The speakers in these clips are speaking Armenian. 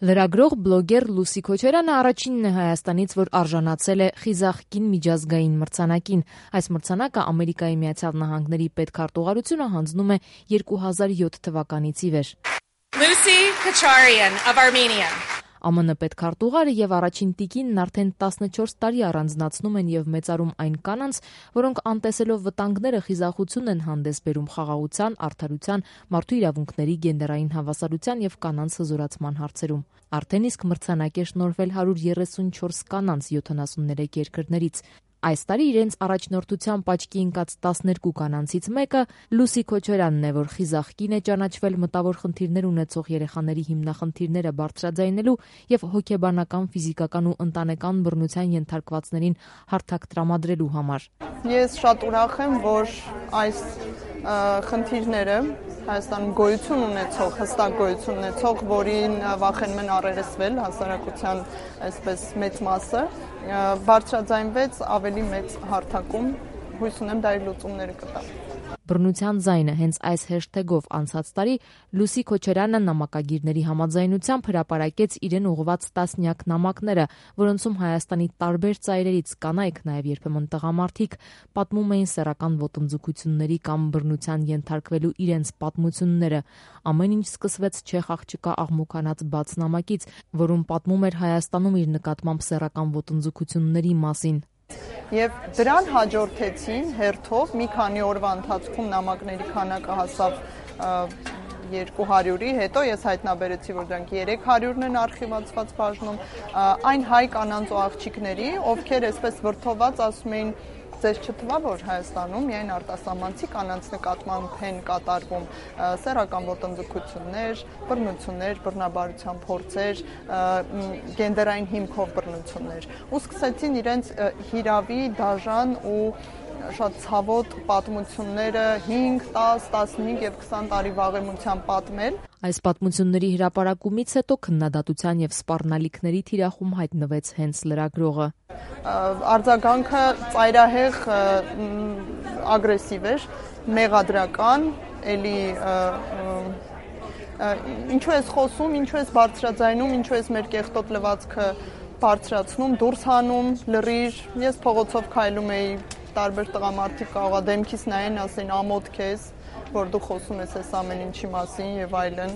Լրագրող բլոգեր Լուսի Քոչարյանը առաջինն է Հայաստանից, որ արժանացել է խիզախ կին միջազգային մրցանակին։ Այս մրցանակը Ամերիկայի Միացյալ Նահանգների պետքարտուղարությունը հանձնում է 2007 թվականից ի վեր։ Lucy Kocharyan of Armenia. ԱՄՆ պետքարտուղարը եւ առաջին տիկինն արդեն 14 տարի առանձնացնում են եւ մեծարում այն կանանց, որոնք անտեսելով վտանգները խիզախություն են հանդես բերում խաղաղության, արդարության, մարդու իրավունքների, գենդերային հավասարության եւ կանանց հզորացման հարցերում։ Արդեն իսկ մրցանակ է շնորհվել 134 կանանց 73 երկրներից։ Այս տարի իրենց առաջնորդությամբ աչքի ընկած 12 կանանցից մեկը Լուսի Քոչարյանն է, որ խիզախ կին է ճանաչվել մտավոր խնդիրներ ունեցող երեխաների հիմնախնդիրները բարձրաձայնելու եւ հոգեբանական, ֆիզիկական ու ընտանեկան բռնության ենթարկվածներին հարթակ տրամադրելու համար։ Ես շատ ուրախ եմ, որ այս խնդիրները Հայաստանում գոյություն ունեցող, հստակ գոյություն ունեցող, որին վախենում են առերեսվել հասարակության այսպես մեծ մասը, բարձրաձայնվեց ավելի մեծ հարթակում, հույս ունեմ դա իր լուծումները կտա։ Բռնության ձայնը հենց այս հեշթեգով անցած տարի Լուսի Քոչարյանը նամակագիրների համաձայնությամբ հրապարակեց իրեն ուղղված տասնյակ նամակները, որոնցում Հայաստանի տարբեր ծայրերից կանայք, նաև երբեմն տղամարդիկ, պատմում էին սեռական ոտնձգությունների կամ բռնության ենթարկվելու իրենց պատմությունները։ Ամեն ինչ սկսվեց չեխ աղջկա աղմուկանած բաց նամակից, որում պատմում էր Հայաստանում իր նկատմամբ սեռական ոտնձգությունների մասին։ Եվ դրան հաջորդեցին հերթով մի քանի օրվա ընթացքում նամակների քանակը հասավ 200-ի, հետո ես հայտնաբերեցի, որ դրանք 300-ն են արխիվացված բաժնում, այն հայ կանանց ու աղջիկների, ովքեր այսպես վրդոված ասում էին, ձեզ չթվա, որ Հայաստանում միայն արտասահմանցի կանանց նկատմամբ են կատարվում սեռական ոտնձգություններ, բռնություններ, բռնաբարության փորձեր, գենդերային հիմքով բռնություններ, ու սկսեցին իրենց հիրավի, դաժան ու շատ ցավոտ պատմությունները 5, 10, 15 եւ 20 տարի վաղեմության պատմել։ Այս պատմությունների հրապարակումից հետո քննադատության եւ սպառնալիքների թիրախում հայտնվեց հենց լրագրողը։ Արձագանքը ծայրահեղ ագրեսիվ էր, մեղադրական, էլի ինչու ես խոսում, ինչու ես բարձրաձայնում, ինչու ես մեր կեղտոտ լվացքը բարձրացնում, դուրս հանում, լրիր, ես փողոցով քայլում էի, տարբեր տղամարդիկ կարողա դեմքիս նայեն, ասեն ամոթ քեզ, որ դու խոսում ես այս ամեն ինչի մասին եւ այլն։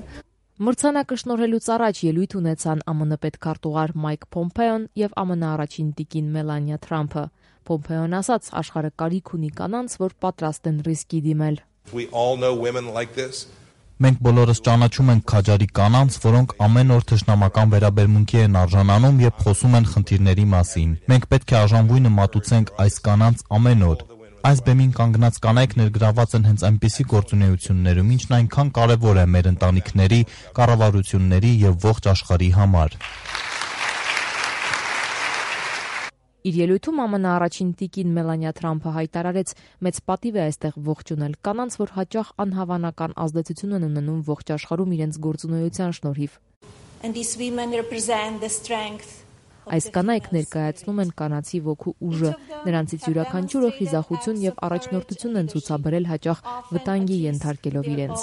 Մրցանակը շնորհելուց առաջ ելույթ ունեցան ԱՄՆ պետքարտուղար Մայք Փոմպեոն եւ ԱՄՆ առաջին տիկին Մելանիա Թրամփը։ Փոմպեոն ասաց, աշխարհը կարիք ունի կանանց, որ պատրաստ են ռիսկի դիմել։ Մենք բոլորս ճանաչում ենք քաջարի կանանց, որոնք ամեն օր թշնամական վերաբերմունքի են արժանանում եւ խոսում են խնդիրների մասին։ Մենք պետք է արժանվույնը մատուցենք այս կանանց ամեն օր։ Այս բեմին կանգնած կանայք ներգրաված են հենց այնպիսի գործունեություններում, ինչն այնքան կարևոր է մեր ընտանիքների, կառավարությունների եւ ողջ աշխարհի համար։ Իր ելույթում ԱՄՆ առաջին տիկին Մելանիա Թրամփը հայտարարեց, մեծ պատիվ է այստեղ ողջունել կանանց, որ հաճախ անհավանական ազդեցություն են ունենում ողջ աշխարհում իրենց գործունեության շնորհիվ։ Այս կանայք ներկայացնում են կանացի ոգու ուժը, նրանցից յուրաքանչյուրը խիզախություն եւ առաջնորդություն են ցուցաբերել հաճախ վտանգի ենթարկելով իրենց։